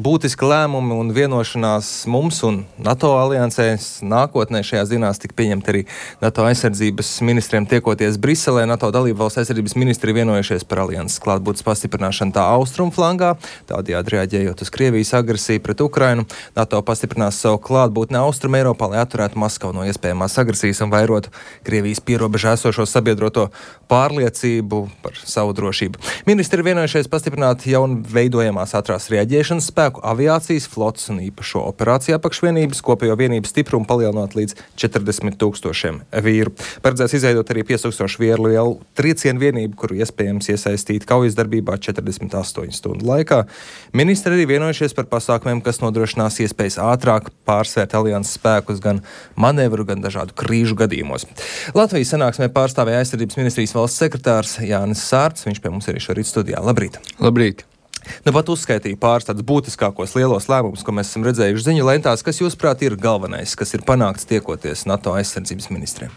būtiski lēmumi un vienošanās mums un NATO aliansē. Nākotnē šajās dienās tika pieņemti arī NATO aizsardzības ministriem tiekoties Briselē. NATO dalību valsts aizsardzības ministri vienojušies par alianses klātbūtnes pastiprināšanu tā austrumu flangā, tādējādi reaģējot uz Krievijas agresiju pret Ukrainu. NATO pastiprinās savu klātbūtni austrumu Eiropā, lai atturētu Maskavu no iespējamās agresijas un vairotu Krievijas pierobežā esošo sabiedroto pārliecību par savu drošību. Ministri ir vienojušies pastiprināt jaunu veidojamās ātrās reaģēšanas spēku, aviācijas, flotes un īpašo operāciju apakšvienības, kopējo vienību stiprumu palielinot līdz 40,000 vīru. Paredzēts izveidot arī 5,000 vieru lielu triecienu vienību, kuru iespējams iesaistīt kaujas darbībā 48 stundu laikā. Ministri arī vienojušies par pasākumiem, kas nodrošinās iespējas ātrāk pārsvērt alianses spēkus gan manevru, gan dažādu krīžu gadījumos. Latvijas sanāksmē pārstāvēja aizsardzības ministrijas valsts sekretārs Jānis Sārts. Viņš pie mums ir šorīt studijā. Labrīt! Labrīt! Nu, pat uzskaitīja pāris tādus būtiskākos lielos lēmumus, ko mēs esam redzējuši ziņu lentās. Kas, jūsuprāt, ir galvenais, kas ir panākts tiekoties NATO aizsardzības ministriem?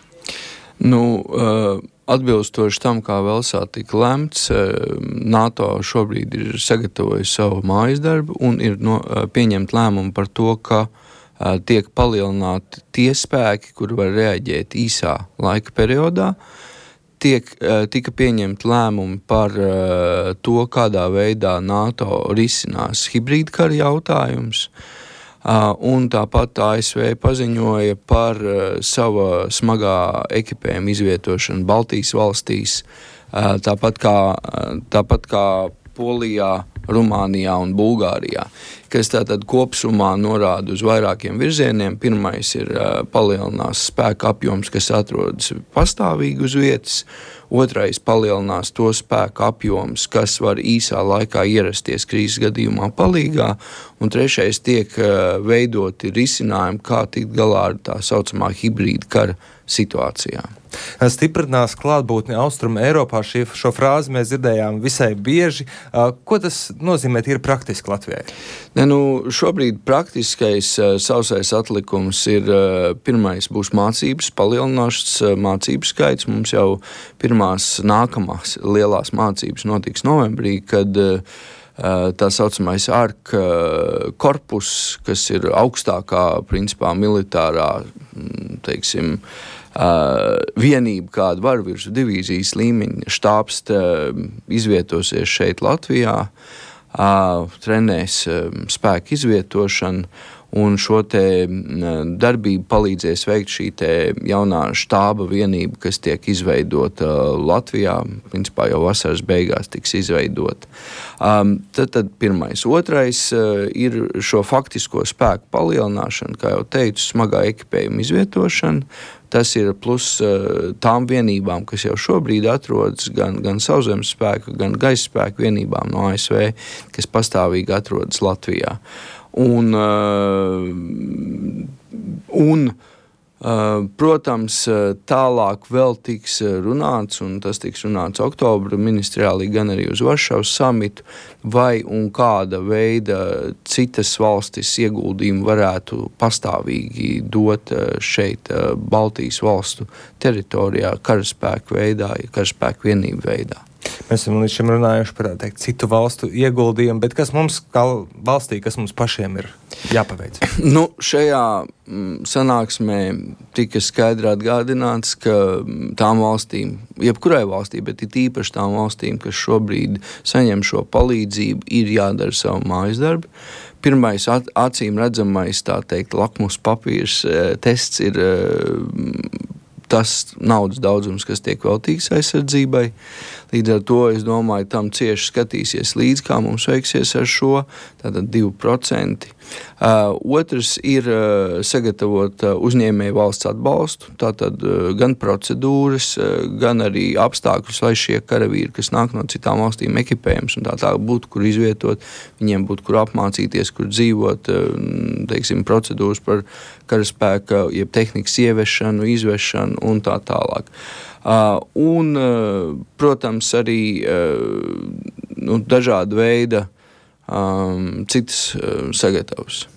Atbilstoši tam, kā Velsā tika lemts, NATO šobrīd ir sagatavojis savu mājas darbu un ir pieņemt lēmumu par to, ka tiek palielināti tie spēki, kuri var reaģēt īsā laika periodā. Tika pieņemti lēmumi par to, kādā veidā NATO risinās hibrīdkara jautājums, un tāpat ASV paziņoja par sava smagā ekipējuma izvietošanu Baltijas valstīs, tāpat kā Polijā, Rumānijā un Bulgārijā, kas tātad kopsumā norāda uz vairākiem virzieniem. Pirmais ir palielinās spēka apjoms, kas atrodas pastāvīgi uz vietas. Otrais palielinās to spēku apjoms, kas var īsā laikā ierasties krīzes gadījumā palīgā. Un trešais tiek veidoti risinājumi, kā tikt galā ar tā saucamā hibrīda kara situācijā. Stiprinās klātbūtni austrumu Eiropā. Šo frāzi mēs dzirdējām visai bieži. Ko tas nozīmē ir praktiski Latvijai? Šobrīd praktiskais sausais atlikums ir pirmais būs mācības, palielināšas mācību skaits. Mums jau pirmās nākamās lielās mācības notiks novembrī, kad tā saucamais ARK korpus, kas ir augstākā principā militārā, vienība, kāda var virs divīzijas līmeņa štābs izvietosies šeit Latvijā, trenēs spēku izvietošanu, un šo te darbību palīdzēs veikt šī te jaunā štāba vienība, kas tiek izveidota Latvijā, principā jau vasaras beigās tiks izveidota. Tad pirmais. Otrais ir šo faktisko spēku palielināšana, kā jau teicu, smagā ekipējuma izvietošana. Tas ir plus tām vienībām, kas jau šobrīd atrodas gan sauszemes spēku, gan gaisa spēku vienībām no ASV, kas pastāvīgi atrodas Latvijā. Protams, tālāk vēl tiks runāts, un tas tiks runāts oktobra ministriālī, gan arī uz Varšavas samitu, vai un kāda veida citas valstis ieguldījumu varētu pastāvīgi dot šeit Baltijas valstu teritorijā karaspēku veidā, karaspēku vienību veidā. Mēs esam līdz šim runājuši par citu valstu ieguldījumu, bet kas mums kā valstī, kas mums pašiem ir jāpaveic? Šajā sanāksmē tika skaidri atgādināts, ka tām valstīm, jebkurai valstī, bet it īpaši tām valstīm, kas šobrīd saņem šo palīdzību, ir jādara savu mājas darbu. Pirmais acīm redzamais, tā teikt, lakmus papīrs tests ir tas naudas daudzums, kas tiek veltīts aizsardzībai. Līdz ar to, es domāju, tam cieši skatīsies līdz, kā mums veiksies ar šo, tātad 2%. Otrs ir sagatavot uzņēmēju valsts atbalstu, tātad gan procedūras, gan arī apstākļus, lai šie karavīri, kas nāk no citām valstīm, ekipējums un tā būtu, kur izvietot, viņiem būtu, kur apmācīties, kur dzīvot, procedūras par karaspēka, jeb tehnikas ieviešanu, izvešanu un tā tālāk. Protams, arī dažāda veida citas sagatavas.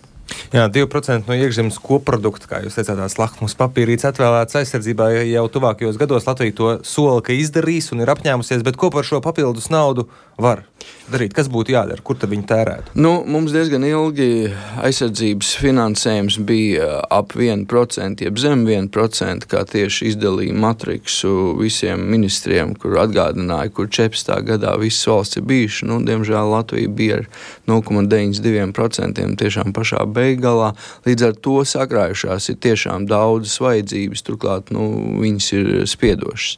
Jā, 2% no iekšzemes koprodukta, kā jūs teicāt, tās lakmus papīrītes atvēlētas aizsardzībā jau tuvākajos gados. Latvija to sola, ka izdarīs un ir apņēmusies, bet ko par šo papildus naudu var? darīt? Kas būtu jādara? Kur tad viņi tērētu? Mums diezgan ilgi aizsardzības finansējums bija ap 1%, jeb zem 1%, kā tieši izdalīja matriksu visiem ministriem, kur atgādināja, kur 14. gadā visas valsts ir bijuši. Diemžēl Latvija bija ar 0,92% tiešām pašā beigalā. Līdz ar to sakrājušās ir tiešām daudzas vajadzības, turklāt viņas ir spiedošas.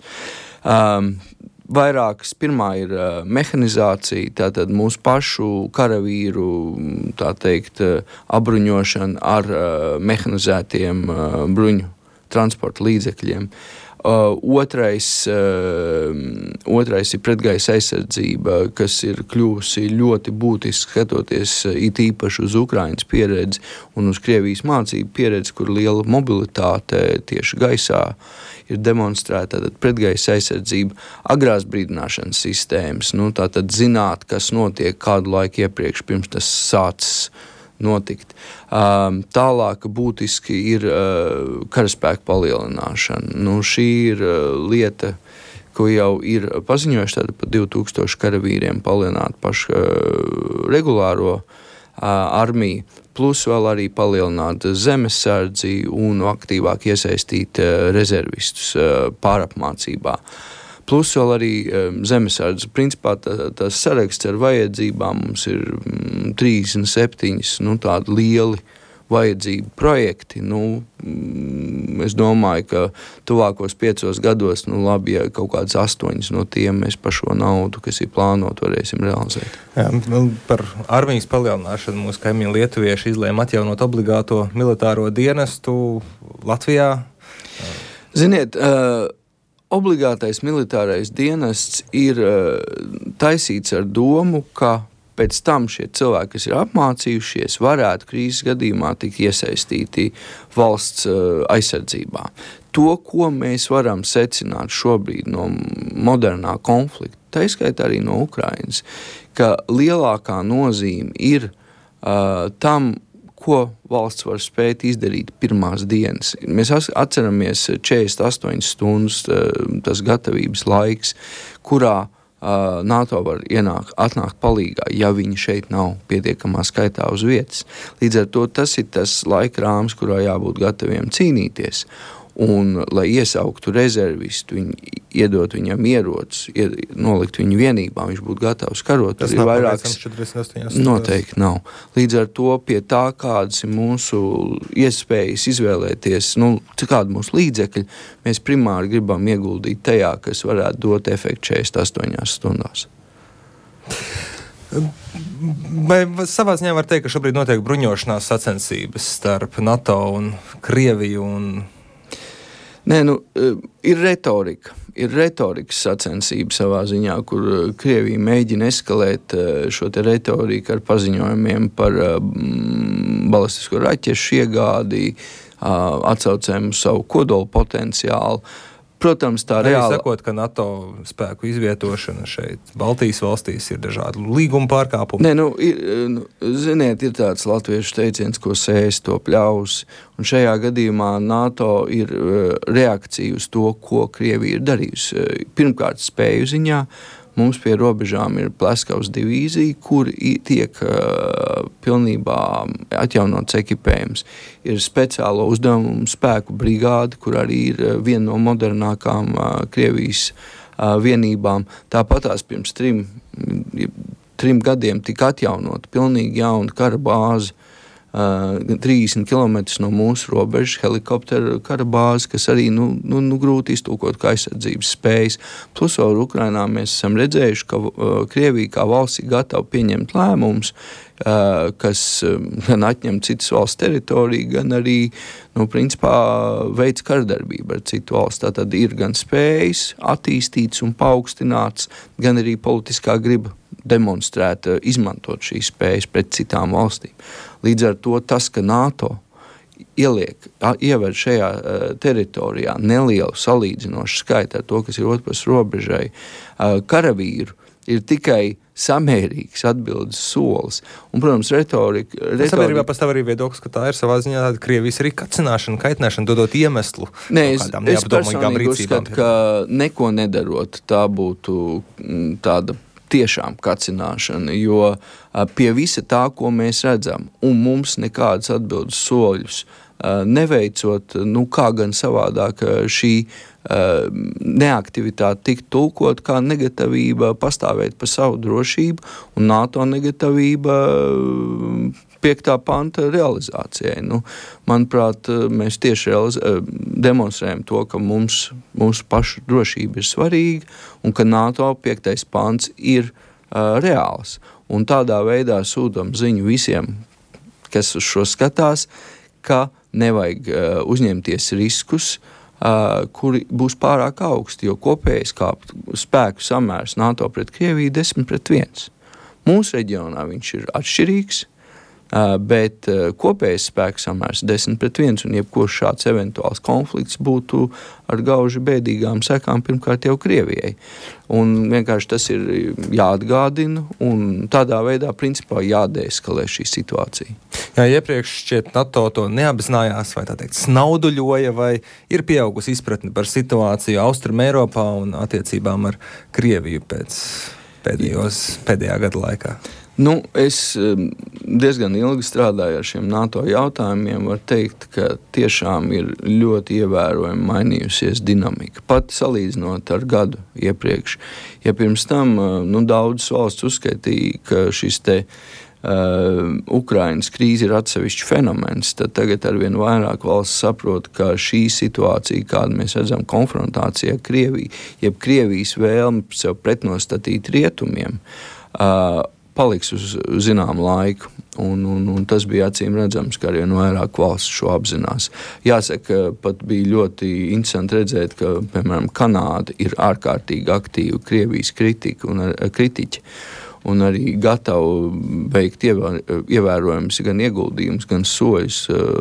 Vairākas. Pirmā ir mehanizācija, tātad mūsu pašu karavīru, tā teikt, apbruņošana ar mehanizētiem bruņu transporta līdzekļiem. Otrais ir pretgaisa aizsardzība, kas ir kļuvusi ļoti būtiski skatoties it īpaši uz Ukrainas pieredzi un uz Krievijas mācību pieredzi, kur liela mobilitāte tieši gaisā ir demonstrēta. Tātad pretgaisa aizsardzība, agrās brīdināšanas sistēmas, tātad zināt, kas notiek kādu laiku iepriekš, pirms tas sācis notikt. Tālāk būtiski ir karaspēka palielināšana. Šī ir lieta, ko jau ir paziņojuši, tātad par 2000 karavīriem palielināt pašu regulāro armiju, plus vēl arī palielināt zemesardzi un aktīvāk iesaistīt rezervistus pārapmācībā. Plus vēl arī zemesardze. Principā tas saraksts ar vajadzībām mums ir 37 tādi lieli vajadzību projekti. Es domāju, ka tuvākos 5 gados, labi, ja kaut kāds 8 no tiem mēs par šo naudu, kas ir plānot, varēsim realizēt. Jā, par armijas palielināšanu mūsu kaimiņi lietuvieši izlēma atjaunot obligāto militāro dienestu Latvijā. Ziniet, obligātais militārais dienests ir taisīts ar domu, ka pēc tam šie cilvēki, kas ir apmācījušies, varētu krīzes gadījumā tikt iesaistīti valsts aizsardzībā. To, ko mēs varam secināt šobrīd no modernā konflikta, tā izskaitā arī no Ukrainas, ka lielākā nozīme ir tam, ko valsts var spēt izdarīt pirmās dienas. Mēs atceramies 48 stundas tas gatavības laiks, kurā NATO var atnākt palīgā, ja viņi šeit nav pietiekamā skaitā uz vietas. Līdz ar to tas ir tas laika rāms, kurā jābūt gataviem cīnīties. Un, lai iesauktu rezervistu, iedot viņam ierocis, nolikt viņu vienībā, viņš būtu gatavs karot. Tas nav vairākas 48. Noteikti nav. Līdz ar to pie tā, kādas ir mūsu iespējas izvēlēties, kāda mūsu līdzekļi, mēs primāri gribam ieguldīt tajā, kas varētu dot efektu 48 stundās. Vai savā ziņā var teikt, ka šobrīd notiek bruņošanās sacensības starp NATO un Krieviju un... Nē, ir retorika. Ir retorikas sacensība savā ziņā, kur Krievija mēģina eskalēt šo te retoriku ar paziņojumiem par balistisko raķešu iegādi, atsaucēm uz savu kodolu potenciālu. Protams, tā reāli... Sakot, ka NATO spēku izvietošana šeit Baltijas valstīs ir dažādi līguma pārkāpumi. Nē, ziniet, ir tāds latviešu teiciens, ko sēs, to pļaus. Un šajā gadījumā NATO ir reakcija uz to, ko Krievija ir darījusi. Pirmkārt, spēju ziņā. Mums pie robežām ir Pleskavas divīzija, kur tiek pilnībā atjaunots ekipējums. Ir speciālo uzdevumu spēku brigāde, kur arī ir viena no modernākām Krievijas vienībām. Tāpatās pirms 3 gadiem tika atjaunota pilnīgi jauna kara bāze, 30 km no mūsu robežas helikopteru kara bāze, kas arī grūti iztulkot kā aizsardzības spējas. Plus vēl Ukrainā mēs esam redzējuši, ka Krievija kā valsts ir gatava pieņemt lēmumus, kas gan atņem citas valsts teritoriju, gan arī, principā, veids kardarbību ar citu valsts. Tātad ir gan spējas attīstīts un paaugstināts, gan arī politiskā griba demonstrēt, izmantot šīs spējas pret citām valstīm. Līdz ar to tas, ka NATO iever šajā teritorijā nelielu salīdzinošu skaitu ar to, kas ir otrs robežai, karavīru, ir tikai samērīgs atbildes solis. Un, protams, retorika... Sabiedrībā pastāv arī viedoklis, ka tā ir savā ziņā tāda Krievijas arī kacināšana, kaitināšana, dodot iemeslu. Nē, es personīgi uzskatu, ka neko nedarot, tā būtu tāda tiešām kacināšana, jo pie visa tā, ko mēs redzam, un mums nekādas atbildes soļus neveicot, kā gan savādāk šī neaktivitāte tikt tulkot kā negatavība pastāvēt par savu drošību un NATO negatavība 5. panta realizācijai. Manuprāt, mēs tieši demonstrējam to, ka mūsu pašu drošība ir svarīga un ka NATO 5. pants ir reāls. Un tādā veidā sūtam ziņu visiem, kas uz šo skatās, ka nevajag uzņemties riskus, kuri būs pārāk augsti, jo kopējais spēku samērs NATO pret Krieviju 10-1. Mūsu reģionā viņš ir atšķirīgs, bet kopējais spēku samērs 10-1, un jebkurš šāds eventuāls konflikts būtu ar gauži bēdīgām sekām pirmkārt jau Krievijai. Un vienkārši tas ir jāatgādina, un tādā veidā principā jādeeskalē šī situācija. Jā, iepriekš šķiet NATO to neapzinājās, vai tā teikt snauduļoja, vai ir pieaugusi izpratne par situāciju Austrum Eiropā un attiecībām ar Krieviju pēdējā gada laikā? Es diezgan ilgi strādāju ar šiem NATO jautājumiem. Var teikt, ka tiešām ir ļoti ievērojami mainījusies dinamika. Pat salīdzinot ar gadu iepriekš. Ja pirms tam daudzas valsts uzskaitīja, ka šis Ukrainas krīze ir atsevišķs fenomens, tad tagad arvien vairāk valsts saprot, ka šī situācija, kādu mēs redzam konfrontācijā ar Krieviju, jeb Krievijas vēlme sev pretnostatīt rietumiem, paliks uz zināmu laiku, un tas bija acīm redzams, ka arvien vairāk valsts šo apzinās. Jāsaka, pat bija ļoti interesanti redzēt, ka, piemēram, Kanāda ir ārkārtīgi aktīva Krievijas kritiķi, un arī gatavi veikt ievērojumus gan ieguldījumus, gan soļus,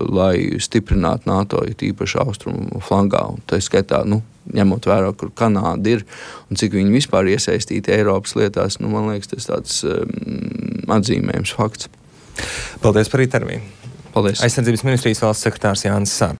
lai stiprinātu NATO, īpaši austrumu flangā. Un tā skaitā, ņemot vērā, kur Kanāda ir un cik viņi vispār iesaistīti Eiropas lietās, man liekas, tas tāds atzīmējums fakts. Paldies par interviju. Paldies. Aizsardzības ministrijas valsts sekretārs Jānis Sābs.